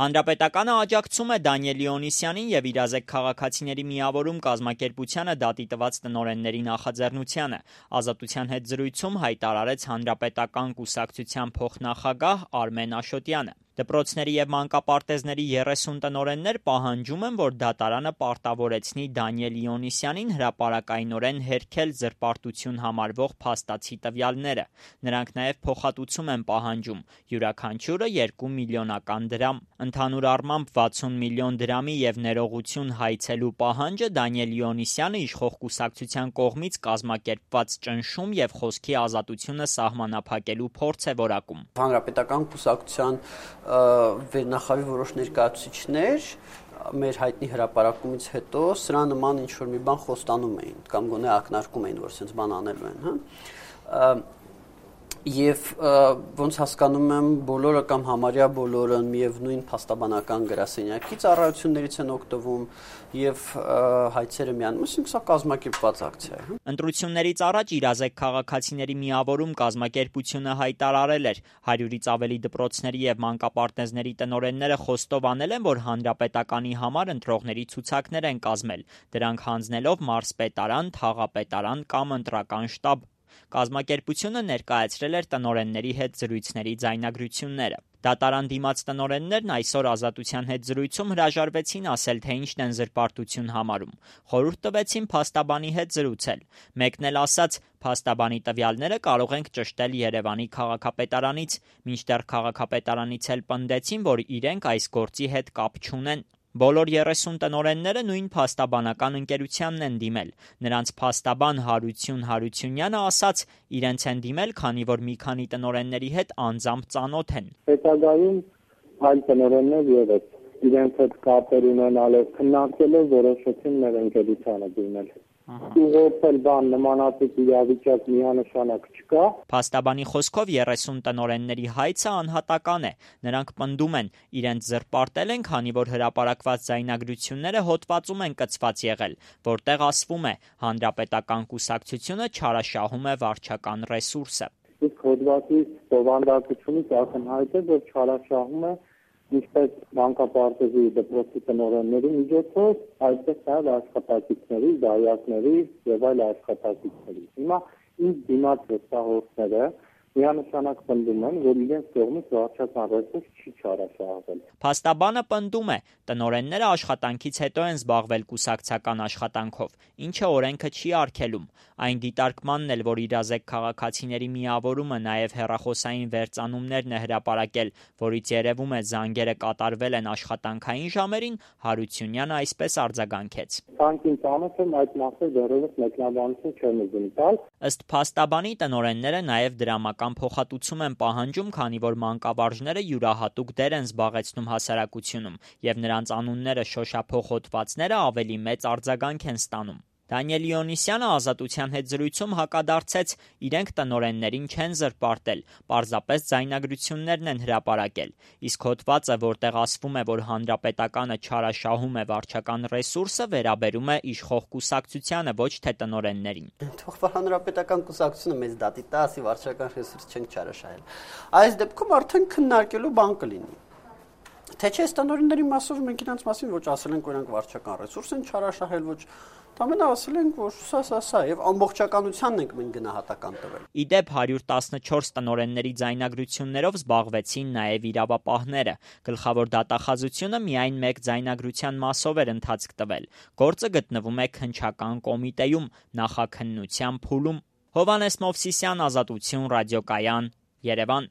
Հանրապետականը աջակցում է Դանիել Լիոնիսյանին և իրազեկ քաղաքացիների միավորում կազմակերպությանը դատի տված տնօրենների նախաձեռնությանը, Ազատության հետ զրույցում հայտարարեց Հանրապետական կուսակցության փոխնախագահ Արմեն Աշոտյանը։ Դպրոցների և մանկապարտեզների 30 տնօրեններ պահանջում են, որ դատարանը պարտավորեցնի Դանիել Լիոնիսյանին հրապարակայնորեն հերքել զրպարտություն համարվող փաստացի տվյալները։ Նրանք նաև փոխհատուցում են պահանջում՝ յուրաքանչյուրը 2 միլիոնական դրամ։ Ընդհանուր առմամբ 60 միլիոն դրամի և ներողություն հայցելու պահանջը Դանիել Լիոնիսյանը իշխող կուսակցության կողմից կազմակերպված ճնշում և խոսքի ազատությունը սահմանափակելու փորձ է որակում։ Հանրապետական կուսակցության վերնախավի որոշ ներկայացուցիչներ մեր հայտնի հրապարակումից հետո սրա նման ինչ-որ մի բան խոստանում էին կամ գոնե ակնարկում էին, որ սենց բան անելու են, Եվ ոնց հասկանում եմ բոլորը կամ համարյա բոլորը միևնույն փաստաբանական գրասենյակի ծառայություններից են օգտվում եւ հայցերը միանում, այսինքն սա կազմակերպված ակցիա է։ Ընտրություններից առաջ իրազեկ քաղաքացիների միավորում կազմակերպությունը հայտարարել էր 100-ից ավելի դպրոցների եւ մանկապարտեզների տնօրենները խոստով անել են, որ հանրապետականի համար ընտրողների ցուցակներ են կազմել, դրանք հանձնելով մարզպետարան, թաղապետարան կամ ընտրական շտաբ։ Կազմակերպությունը ներկայացրել էր տնօրենների հետ զրույցների ձայնագրությունները։ Դատարան դիմաց տնօրեններն այսօր Ազատության հետ զրույցում հրաժարվեցին ասել, թե ինչն են զրպարտություն համարում։ Խորհուրդ տվեցին փաստաբանի հետ զրուցել։ Մեկն էլ ասաց՝ փաստաբանի տվյալները կարող ենք ճշտել Երևանի քաղաքապետարանից, մինչդեռ քաղաքապետարանից էլ պնդեցին, որ իրենք այս գործի հետ կապ չունեն։ Բոլոր 30 տնօրենները նույն փաստաբանական ընկերությանն են դիմել։ Նրանց փաստաբան Հարություն Հարությունյանը ասաց՝ իրենց են դիմել, քանի որ մի քանի տնօրենների հետ անձամբ ծանոթ են։ Հետագայում այլ տնօրեններ ևս իրենց հետ կապեր ունենալով քննարկելով որոշեցին մեր ընկերությանը դիմել։ Ուղղակի բան նմանատիպ իրավիճակ միանշանակ չկա։ Փաստաբանի խոսքով 30 տնօրենների հայցը անհատական է։ Նրանք պնդում են, իրենց զրպարտել են, քանի որ հրապարակված ձայնագրությունները հոդվածում են կցված եղել, որտեղ ասվում է՝ հանրապետական կուսակցությունը չարաշահում է վարչական ռեսուրսը։ Իսկ հոդվածի բովանդակությունից ակնհայտ է, որ չարաշահում է ինչպես մանկապարտեզի դպրոցի տնօրենների միջոցով, այդպես նաև աշխատակիցների, դայակների եւ այլ աշխատակիցների։ Հիմա ինձ դիմաց հստահորդները միանշանակ պնդում են, որ իրենց կողմից վարչական ռեսուրս չի չարաշահվել։ Փաստաբանը պնդում է, տնօրենները աշխատանքից հետո են զբաղվել կուսակցական աշխատանքով, ինչը օրենքը չի արգելում։ Այն դիտարկմանն էլ, որ իրազեկ քաղաքացիների միավորումը նաև հեռախոսային վերծանումներն է հրապարակել, որից երևում է զանգերը կատարվել են աշխատանքային ժամերին, Հարությունյանը այսպես արձագանքեց։ Քանքին ծանոթ եմ, այդ մասը դեռևս մեկնաբանություն չեմ ուզում տալ։ Ըստ փաստաբանի տնօրենները նաև դրամական փոխհատուցում են պահանջում, քանի որ մանկավարժները յուրահատուկ դեր են զբաղեցնում հասարակությունում, եւ նրանց անունները շոշափող հոդվածները ավելի մեծ արձագանք են ստանում։ Դանիել Լիոնիսյանը Ազատության հետ զրույցում հակադարձեց՝ իրենք տնօրեններին չեն զրպարտել, պարզապես ձայնագրություններն են հրապարակել։ Իսկ հոդվածը, որտեղ ասվում է, որ հանրապետականը չարաշահում է վարչական ռեսուրսը, վերաբերում է իշխող կուսակցությանը, ոչ թե տնօրեններին։ Թող հանրապետական կուսակցությունը մեծ դատի տա, ասի վարչական ռեսուրս չենք չարաշահել։ Այս դեպքում արդեն քննարկելու բան կլինի։ Թե չէ տնօրենների մասով մենք իրենց մասին ոչ ասել ենք, որ նրանք վարչական ռեսուրս են չարաշահել, ոչ Ամենը ասել ենք, որ սա եւ ամբողջականությանն ենք մենք գնահատական տվել։ Իդեպ 114 տնօրենների ձայնագրություններով զբաղվեցին նաև իրավապահները։ Գլխավոր դատախազությունը միայն մեկ ձայնագրության մասով էր ընթացք տվել։ Գործը գտնվում է քննչական կոմիտեում, նախաքննության փուլում։ Հովհաննես Մովսիսյան, Ազատություն, ռադիոկայան, Երևան։